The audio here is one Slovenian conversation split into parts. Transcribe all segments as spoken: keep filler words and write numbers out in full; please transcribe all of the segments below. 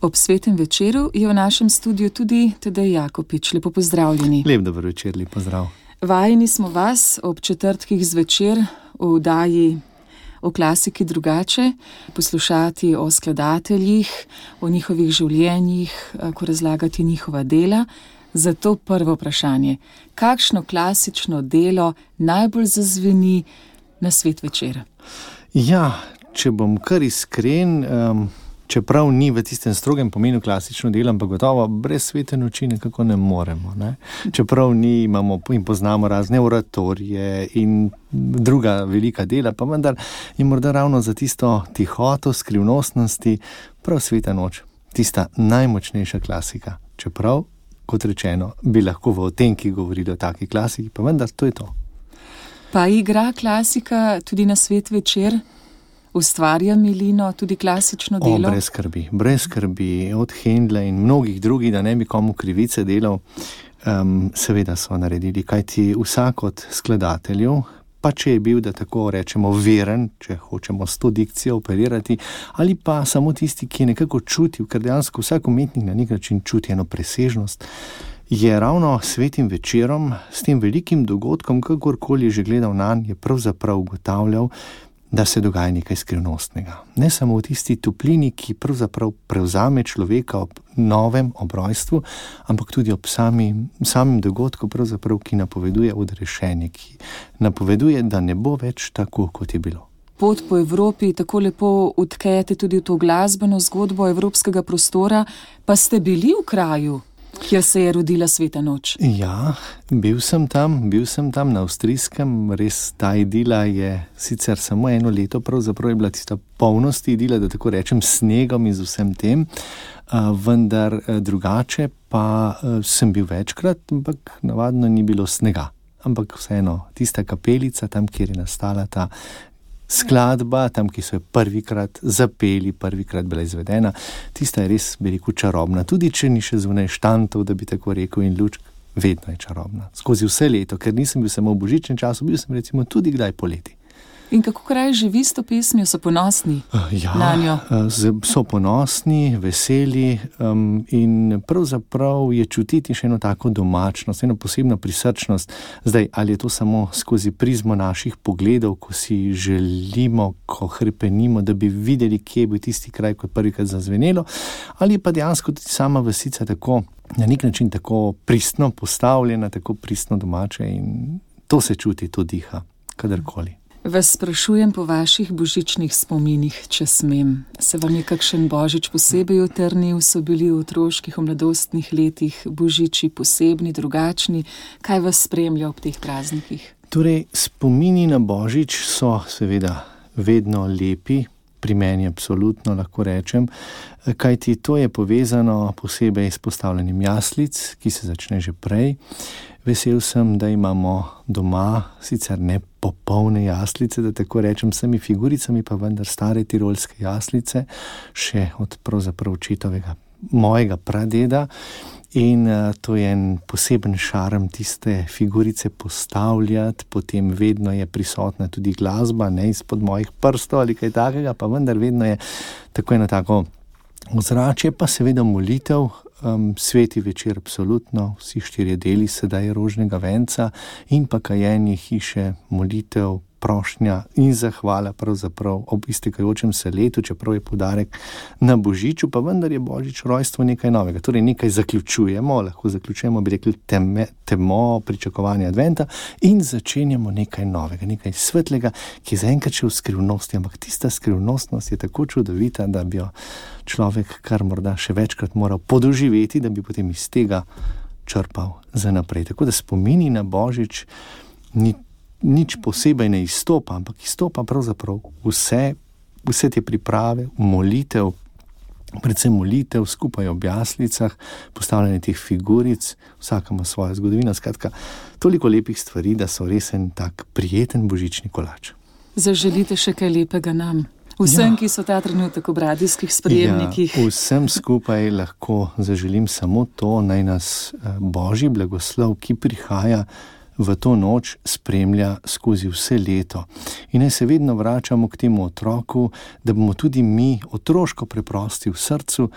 Ob svetem večeru je v našem studiu tudi Tadej Jakopič. Lepo pozdravljeni. Lep dober večer, lep pozdrav. Vajeni smo vas ob četrtkih zvečer v oddaji o klasiki drugače, poslušati o skladateljih, o njihovih življenjih, ko razlagati njihova dela. Zato prvo vprašanje, kakšno klasično delo najbolj zazveni na svet večera? Ja, če bom kar iskren, um, čeprav ni v tistem strogem pomenu klasično delo, ampak gotovo brez svete noči nekako ne moremo. Ne? Čeprav ni, imamo in poznamo razne oratorije in druga velika dela, pa vendar je morda ravno za tisto tihoto, skrivnostnosti prav sveta noč, tista najmočnejša klasika. Čeprav, kot rečeno, bi lahko v Otenkih govorili o taki klasiki, pa vendar to je to. Pa igra klasika tudi na svet večer? Ustvarja milino, tudi klasično delo? O, brez skrbi, brez skrbi, od Händla in mnogih drugih, da ne bi komu krivice delal, um, seveda so naredili, kajti vsak od skladateljev, pa če je bil, da tako rečemo, veren, če hočemo s to dikcijo operirati, ali pa samo tisti, ki je nekako čutil, ker dejansko vsak umetnik na nek način čuti eno presežnost, je ravno svetim večerom, s tem velikim dogodkom, kakorkoli je že gledal nanj, je pravzaprav ugotavljal, da se dogaja nekaj skrivnostnega. Ne samo v tisti toplini, ki pravzaprav prevzame človeka ob novem obrojstvu, ampak tudi ob sami, samem dogodku, pravzaprav, ki napoveduje odrešenje, ki napoveduje, da ne bo več tako, kot je bilo. Pot po Evropi tako lepo utkajate tudi v to glasbeno zgodbo evropskega prostora, pa ste bili v kraju, kjer se je rodila sveta noč. Ja, bil sem tam, bil sem tam na avstrijskem, res ta idila je sicer samo eno leto, pravzaprav je bila tista polnost idila, da tako rečem, snegom in z vsem tem, uh, vendar uh, drugače pa uh, sem bil večkrat, ampak navadno ni bilo snega. Ampak vseeno, tista kapelica, tam, kjer je nastala ta skladba, tam, ki so jo prvikrat zapeli, prvikrat bila izvedena, tista je res, bi rekel, čarobna. Tudi če ni še zunaj štantov, da bi tako rekel, in lučk, vedno je čarobna. Skozi vse leto, ker nisem bil samo v božičnem času, bil sem recimo tudi kdaj poleti. In kako kraj živi s to pesmijo, so ponosni ja, na njo? So ponosni, veseli um, in pravzaprav je čutiti še eno tako domačnost, eno posebno prisrčnost. Zdaj, ali je to samo skozi prizmo naših pogledov, ko si želimo, ko hrepenimo, da bi videli, kje je bil tisti kraj, ko je prvikrat zazvenelo, ali pa dejansko tudi sama vasica tako, na nek način tako pristno postavljena, tako pristno domače in to se čuti, to diha, kadarkoli. Vas sprašujem po vaših božičnih spominih, če smem. Se vam je kakšen božič posebej utrnil, so bili v otroških, v mladostnih letih božiči posebni, drugačni? Kaj vas spremlja ob teh praznikih? Torej, spomini na božič so seveda vedno lepi, pri meni absolutno lahko rečem, kajti to je povezano posebej s postavljanjem jaslic, ki se začne že prej. Vesel sem, da imamo doma sicer ne popolne jaslice, da tako rečem, s temi figuricami, pa vendar stare tirolske jaslice, še od pravzaprav očetovega, mojega pradeda. In uh, to je en poseben šarm tiste figurice postavljati, potem vedno je prisotna tudi glasba, ne izpod mojih prstov ali kaj takega, pa vendar vedno je tako eno tako ozračje, pa seveda molitev, um, sveti večer absolutno, vsi štirje deli sedaj rožnega venca in pa kajenje hiše, molitev, prošnja in zahvala pravzaprav ob iztekajočem se letu, čeprav je poudarek na božiču, pa vendar je božič rojstvo nekaj novega. Torej nekaj zaključujemo, lahko zaključujemo, bi rekli, teme, temo pričakovanja adventa in začenjamo nekaj novega, nekaj svetlega, ki je zaenkrat še v skrivnosti, ampak tista skrivnostnost je tako čudovita, da bi jo človek kar morda še večkrat moral podoživeti, da bi potem iz tega črpal za naprej. Tako da spomini na božič ni nič posebej ne izstopa, ampak izstopa pravzaprav vse, vse te priprave, molitev, predvsem molitev skupaj ob jaslicah, postavljanje teh figuric, vsaka ima svojo zgodovino, skratka, toliko lepih stvari, da so res en tak prijeten božični kolač. Zaželite še kaj lepega nam? Vsem, ja. Ki so ta trenutek v radijskih sprejemnikih. Ja, vsem skupaj lahko zaželim samo to, naj nas Božji blagoslov, ki prihaja v to noč spremlja skozi vse leto. In naj se vedno vračamo k temu otroku, da bomo tudi mi otroško preprosti v srcu,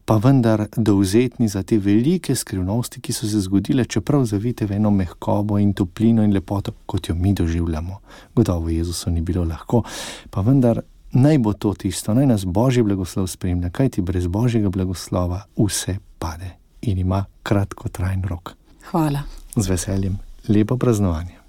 pa vendar dovzetni za te velike skrivnosti, ki so se zgodile, čeprav zavite v eno mehkobo in toplino in lepoto, kot jo mi doživljamo. Gotovo Jezusu ni bilo lahko, pa vendar naj bo to tisto, naj nas Božji blagoslov spremlja, kajti brez Božjega blagoslova vse pade in ima kratkotrajen rok. Hvala. Z veseljem. Lepo praznovanje.